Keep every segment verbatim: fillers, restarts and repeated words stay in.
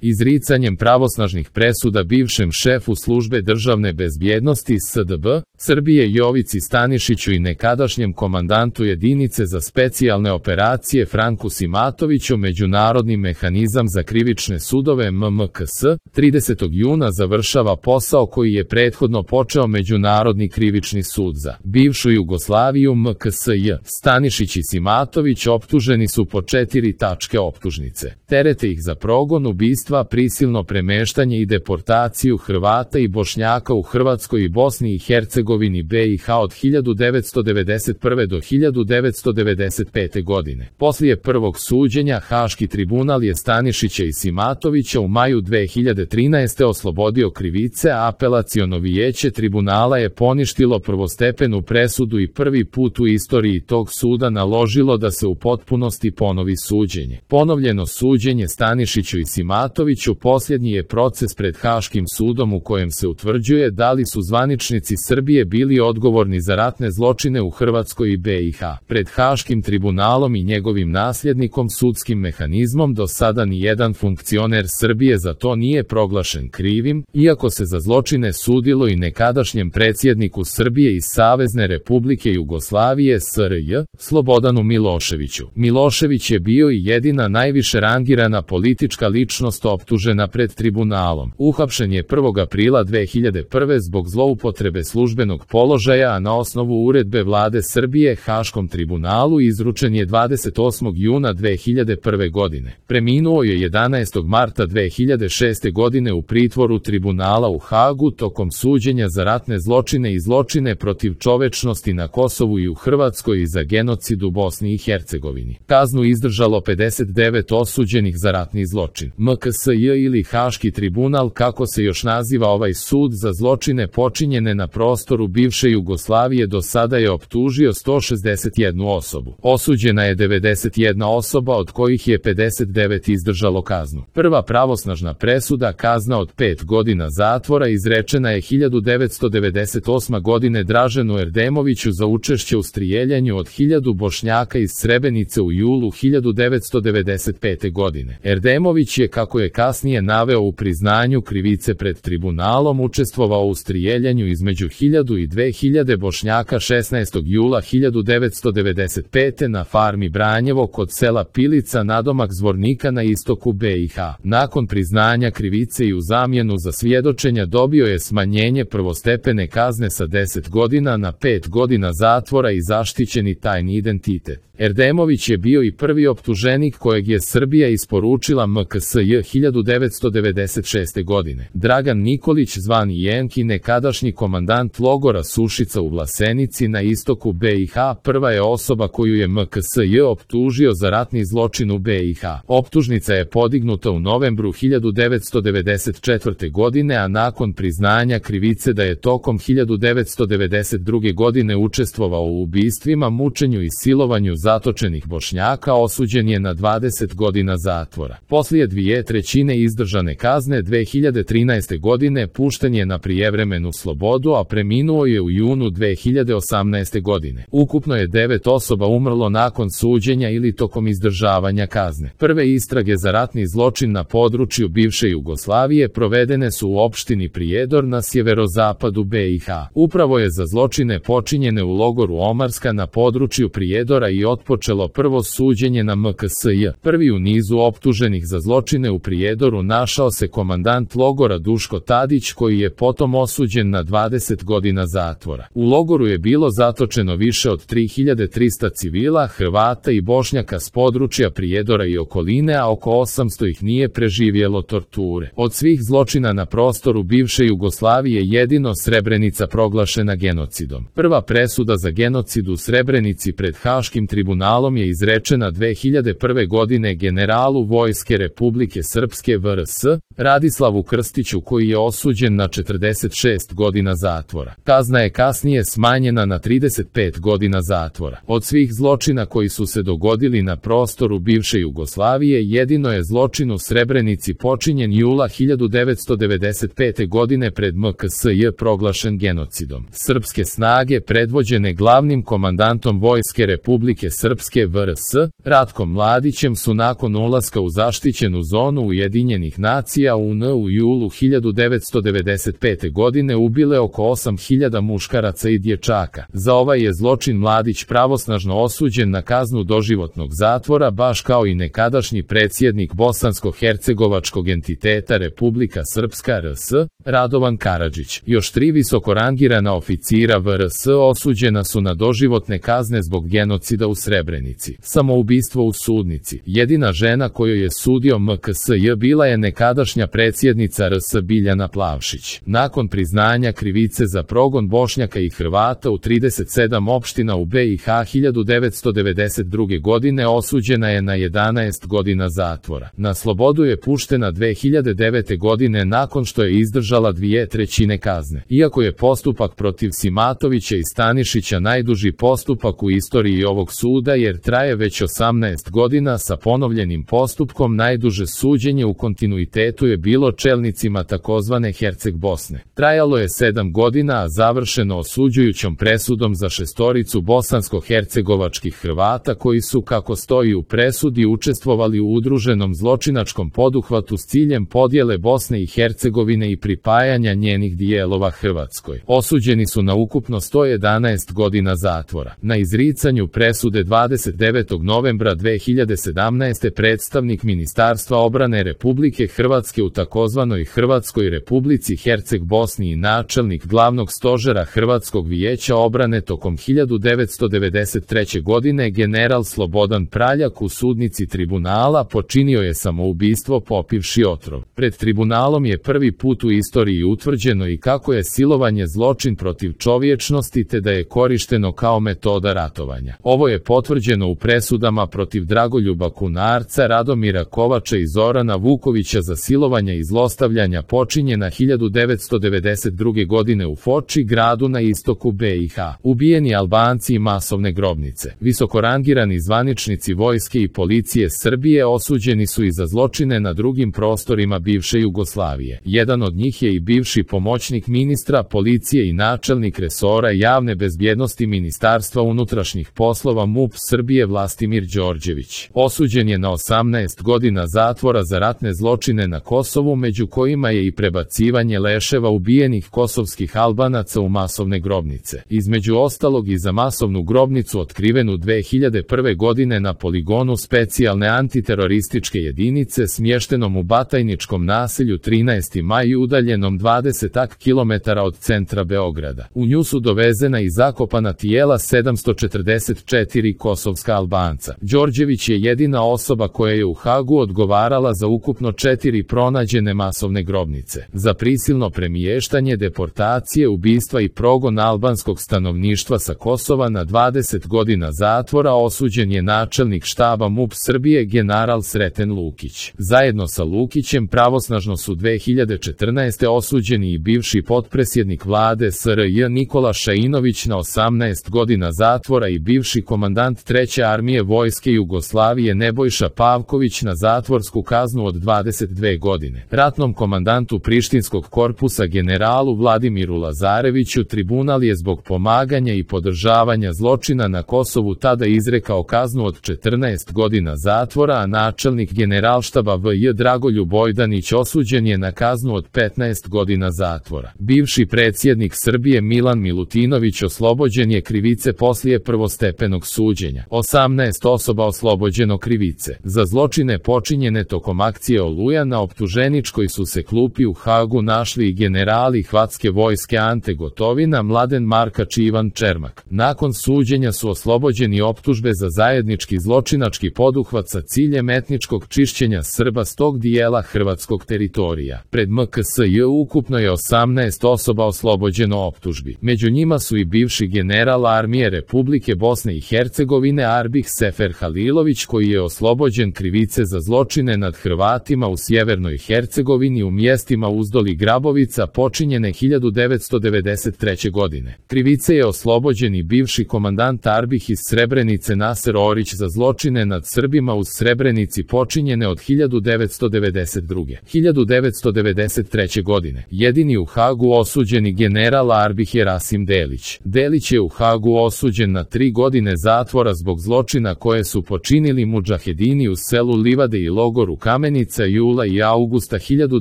Izricanjem pravosnažnih presuda bivšem šefu službe državne bezbjednosti S D B Srbije Jovici Stanišiću i nekadašnjem komandantu jedinice za specijalne operacije Franku Simatoviću Međunarodni mehanizam za krivične sudove M M K S tridesetog juna završava posao koji je prethodno počeo Međunarodni krivični sud za bivšu Jugoslaviju M K S J. Stanišić i Simatović optuženi su po četiri tačke optužnice. Terete ih za progon, ubistva, prisilno premeštanje i deportaciju Hrvata i Bošnjaka u Hrvatskoj i Bosni i Hercegovini B i H od hiljadu devetsto devedeset prve do hiljadu devetsto devedeset pete godine. Poslije prvog suđenja Haški tribunal je Stanišića i Simatovića u maju dve hiljade trinaeste. oslobodio krivice, a apelaciono vijeće tribunala je poništilo prvostepenu presudu i prvi put u istoriji tog suda naložilo da se u potpunosti ponovi suđenje. Ponovljeno suđenje Stanišiću i Simatoviću posljednji je proces pred Haškim sudom u kojem se utvrđuje da li su zvaničnici Srbije bili odgovorni za ratne zločine u Hrvatskoj i B i H. Pred Haškim tribunalom i njegovim nasljednikom sudskim mehanizmom do sada ni jedan funkcioner Srbije za to nije proglašen krivim, iako se za zločine sudilo i nekadašnjem predsjedniku Srbije iz Savezne Republike Jugoslavije S R J, Slobodanu Miloševiću. Milošević je bio i jedina najviše rangirana politička ličnost optužena pred tribunalom. Uhapšen je prvog aprila dve hiljade prve. zbog zloupotrebe službenog položaja, a na osnovu uredbe vlade Srbije Haškom tribunalu izručen je dvadeset osmog juna dve hiljade prve. godine. Preminuo je jedanaestog marta dve hiljade šeste. godine u pritvoru tribunala u Hagu tokom suđenja za ratne zločine i zločine protiv čovečnosti na Kosovu i u Hrvatskoj i za genocid u Bosni i Hercegovini. Kaznu izdržalo pedeset devet osuđenih za ratni zločin. M K S J ili Haški tribunal, kako se još naziva ovaj sud za zločine počinjene na prostoru bivše Jugoslavije, do sada je optužio sto šezdeset jednu osobu. Osuđena je devedeset jedna osoba, od kojih je pedeset devet izdržalo kaznu. Prva pravosnažna presuda, kazna od pet godina zatvora, izrečena je hiljadu devetsto devedeset osme. godine Draženu Erdemoviću za učešće u strijeljanju od hiljadu Bošnjaka iz Srebrenice u julu hiljadu devetsto devedeset pete. godine. Erdemović je, kako je kasnije naveo u priznanju krivice pred tribunalom, učestvovao u strijeljanju između hiljadu i dve hiljade Bošnjaka šesnaestog jula hiljadu devetsto devedeset pete. na farmi Branjevo kod sela Pilica nadomak Zvornika na istoku B i H. Nakon priznanja krivice i u zamjenu za svjedočenja dobio je smanjenje prvostepene kazne sa deset godina na pet godina zatvora i zaštićeni tajni identitet. Erdemović je bio i prvi optuženik kojeg je Srbija isporučila M K S J hiljadu devetsto devedeset šeste. godine. Dragan Nikolić, zvani Jenki, nekadašnji komandant logora Sušica u Vlasenici na istoku B i H, prva je osoba koju je M K S J optužio za ratni zločin u B i H. Optužnica je podignuta u novembru hiljadu devetsto devedeset četvrte. godine, a nakon priznanja krivice da je tokom hiljadu devetsto devedeset druge. godine učestvovao u ubistvima, mučenju i silovanju zatočenih Bošnjaka, osuđen je na dvadeset godina zatvora. Poslije dvije trećine izdržane kazne dve hiljade trinaeste. godine pušten je na prijevremenu slobodu, a preminuo je u junu dve hiljade osamnaeste. godine. Ukupno je devet osoba umrlo nakon suđenja ili tokom izdržavanja kazne. Prve istrage za ratni zločin na području bivše Jugoslavije provedene su u opštini Prijedor na sjeverozapadu B i H. Upravo je za zločine počinjene u logoru Omarska na području Prijedora i otpočelo prvo suđenje na M K S J. Prvi u nizu optuženih za zločine u Prijedoru našao se komandant logora Duško Tadić, koji je potom osuđen na dvadeset godina zatvora. U logoru je bilo zatočeno više od tri hiljade trista civila, Hrvata i Bošnjaka s područja Prijedora i okoline, a oko osamsto ih nije preživjelo torture. Od svih zločina na prostoru bivše Jugoslavije jedino Srebrenica proglašena genocidom. Prva presuda za genocid u Srebrenici pred Haškim tribunalom je izrečena dve hiljade prve. godine generalu Vojske Republike Srpske V R S, Radislavu Krstiću, koji je osuđen na četrdeset šest godina zatvora. Kazna je kasnije smanjena na trideset pet godina zatvora. Od svih zločina koji su se dogodili na prostoru bivše Jugoslavije, jedino je zločin u Srebrenici počinjen jula hiljadu devetsto devedeset pete. godine pred M K S J proglašen genocidom. Srpske snage predvođene glavnim komandantom Vojske Republike Srpske V R S, Ratkom Mladićem, su nakon ulaska u zaštićenu zonu Ujedinjenih nacija U N u julu hiljadu devetsto devedeset pete. godine ubile oko osam hiljada muškaraca i dječaka. Za ovaj je zločin Mladić pravosnažno osuđen na kaznu doživotnog zatvora, baš kao i nekadašnji predsjednik bosansko-hercegovačkog entiteta Republika Srpska R S, Radovan Karadžić. Još tri visoko rangirana oficira V R S osuđena su na doživotne kazne zbog genocida u Srebrenici. Samoubistvo u sudnici. Jedina žena kojoj je sudio M K S J bila je nekadašnja predsjednica R S Biljana Plavšić. Nakon priznanja krivice za progon Bošnjaka i Hrvata u trideset sedam opština u B i H hiljadu devetsto devedeset druge. godine osuđena je na jedanaest godina zatvora. Na slobodu je puštena dve hiljade devete. godine nakon što je izdržala dvije trećine kazne. Iako je postupak protiv Simatovića i Stanišića najduži postupak u istoriji ovog suda jer traje već osamnaest godina, sa ponovljenim postupkom najduže suđenje u kontinuitetu je bilo čelnicima takozvane Herceg Bosne. Trajalo je sedam godina, a završeno osuđujućom presudom za šestoricu bosansko-hercegovačkih Hrvata koji su, kako stoji u presudi, učestvovali u udruženom zločinačkom poduhvatu s ciljem podjele Bosne i Hercegovine i pripajanja njenih dijelova Hrvatskoj. Osuđeni su na ukupno sto jedanaest godina zatvora. Na izricanju presude dvadeset devetog novembra dve hiljade sedamnaeste. predstavnik Ministarstva obrane Republike Hrvatske u takozvanoj Hrvatskoj Republici Herceg Bosni i načelnik glavnog stožera Hrvatskog vijeća obrane tokom hiljadu devetsto devedeset treće. godine general Slobodan Praljak u sudnici tribunala počinio je samoubistvo popivši otrov. Pred tribunalom je prvi put u istoriji utvrđeno i kako je silovanje zločin protiv čovječnosti te da je korišteno kao metoda ratovanja. Ovo je potvrđeno u presudama protiv Dragoljuba Kunarca, Radomira Kovača i Zorana Vukovića za silovanja i zlostavljanja počinjena hiljadu devetsto devedeset druge. godine u Foči, gradu na istoku B i H. Ubijeni Albanci i masovne grobnice. Visokorangirani zvaničnici vojske i policije Srbije osuđeni su i za zločine na drugim prostorima bivše Jugoslavije. Jedan od njih je i bivši pomoćnik ministra policije i načelnik resora javne bezbjednosti Ministarstva unutrašnjih poslova M U P Srbije Vlastimir Đorđević. Osuđen je na osamnaest godina zatvora za ratne zločine na Kosovu, među kojima je i prebacivanje leševa ubijenih kosovskih Albanaca u masovne grobnice. Između ostalog i za masovnu grobnicu otkrivenu dve hiljade prve. godine na poligonu specijalne antiterorističke jedinice smještenom u Batajničkom naselju trinaesti maj udaljenom dvadeset kilometara od centra Beograda. U nju su dovezena i zakopana tijela sedamsto četrdeset četiri kosovska Albanca. Đorđević je jedina osoba koja je u Hagu odgovarala za ukupno četiri pronađene masovne grobnice. Za prisilno premještanje, deportacije, ubistva i progon albanskog stanovništva sa Kosova na dvadeset godina zatvora osuđen je načelnik štaba M U P Srbije general Sreten Lukić. Zajedno sa Lukićem pravosnažno su dve hiljade četrnaeste. osuđeni i bivši potpredsjednik vlade S R J Nikola Šainović na osamnaest godina zatvora i bivši komandant treće armije vojske Jugoslavije Nebojša Pavković na zatvorsku kaznu od dvadeset dve godine. Ratnom komandantu Prištinskog korpusa generalu Vladimiru Lazareviću tribunal je zbog pomaganja i podržavanja zločina na Kosovu tada izrekao kaznu od četrnaest godina zatvora, a načelnik generalštaba V J Dragoljub Bojdanić osuđen je na kaznu od petnaest godina zatvora. Bivši predsjednik Srbije Milan Milutinović oslobođen je krivice poslije prvostepenog suđenja. osamnaest osoba oslobođeno krivice. Za zločine počinjene tokom akcije Oluja na optuženičkoj su se klupi u Hagu našli i generali Hrvatske vojske Ante Gotovina, Mladen Markač i Ivan Čermak. Nakon suđenja su oslobođeni optužbe za zajednički zločinački poduhvat sa ciljem etničkog čišćenja Srba s tog dijela hrvatskog teritorija. Pred M K S J ukupno je osamnaest osoba oslobođeno optužbi. Među njima su i bivši general armije Republike Bosne i Hercegovine Arbih Sefer Halilović, koji je oslobođen krivice za zločine nad Hrvatima u sjevernoj Hercegovini u mjestima Uzdol i Grabovica počinjene hiljadu devetsto devedeset treće. godine. Krivice je oslobođen i bivši komandant Arbih iz Srebrenice Naser Orić za zločine nad Srbima u Srebrenici počinjene od hiljadu devetsto devedeset druge. hiljadu devetsto devedeset treće. godine. Jedini u Hagu osuđeni general Arbih je Rasim Delić. Delić je u Hagu osuđen na tri godine zatvora zbog zločina koje su počinili mudžahedini u selu Livade i logoru Kamp Kamenica jula i avgusta hiljadu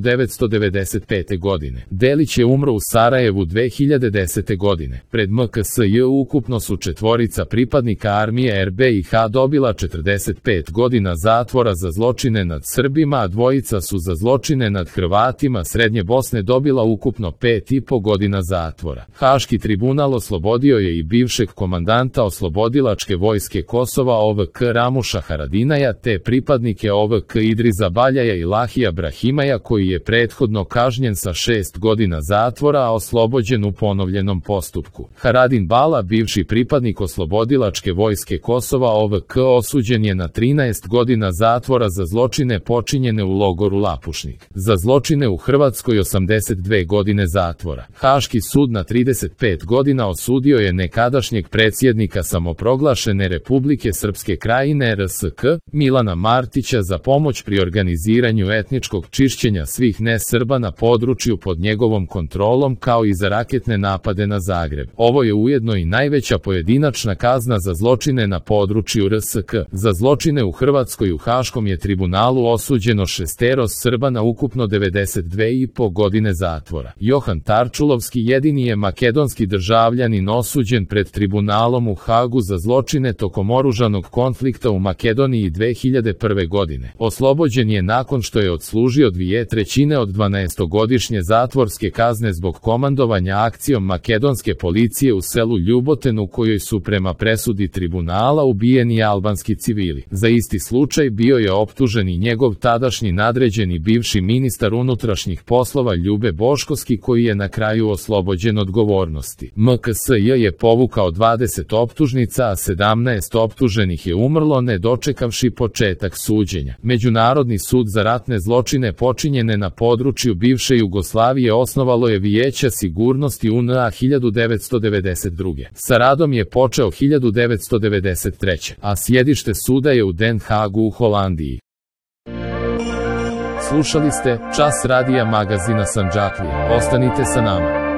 devetsto devedeset pete. godine. Delić je umro u Sarajevu dve hiljade desete. godine. Pred M K S J ukupno su četvorica pripadnika armije R B I H dobila četrdeset pet godina zatvora za zločine nad Srbima, a dvojica su za zločine nad Hrvatima Srednje Bosne dobila ukupno pet i po godina zatvora. Haški tribunal oslobodio je i bivšeg komandanta Oslobodilačke vojske Kosova O V K Ramuša Haradinaja te pripadnike O V K Idriza Baljaja i Lahija Brahimaja koji je prethodno kažnjen sa šest godina zatvora, a oslobođen u ponovljenom postupku. Haradin Bala, bivši pripadnik Oslobodilačke vojske Kosova O V K, osuđen je na trinaest godina zatvora za zločine počinjene u logoru Lapušnik. Za zločine u Hrvatskoj osamdeset dve godine zatvora. Haški sud na trideset pet godina osudio je nekadašnjeg predsjednika samoproglašene Republike Srpske Krajine R S K, Milana Martića za pomoć pri organiziranju etničkog čišćenja svih ne-Srba na području pod njegovom kontrolom kao i za raketne napade na Zagreb. Ovo je ujedno i najveća pojedinačna kazna za zločine na području R S K. Za zločine u Hrvatskoj u Haškom je tribunalu osuđeno šestero Srba na ukupno devedeset dve i po godine zatvora. Johan Tarčulovski jedini je makedonski državljanin osuđen pred tribunalom u Hagu za zločine tokom oružanog konflikta u Makedoniji dve hiljade prve. godine. Oslobođen je nakon što je odslužio dvije trećine od dvanaestogodišnje zatvorske kazne zbog komandovanja akcijom makedonske policije u selu Ljuboten u kojoj su prema presudi tribunala ubijeni albanski civili. Za isti slučaj bio je optužen i njegov tadašnji nadređeni bivši ministar unutrašnjih poslova Ljube Boškovski koji je na kraju oslobođen odgovornosti. M K S J je povukao dvadeset optužnica, a sedamnaest optuženih je umrlo ne dočekavši početak suđenja. Međunarodni sud za ratne zločine počinjene na području bivše Jugoslavije osnovalo je Vijeće sigurnosti U N A hiljadu devetsto devedeset druge. Sa radom je počeo hiljadu devetsto devedeset treće. a sjedište suda je u Den Hagu u Holandiji. Slušali ste Čas radija magazina Sandžaklija. Ostanite sa nama.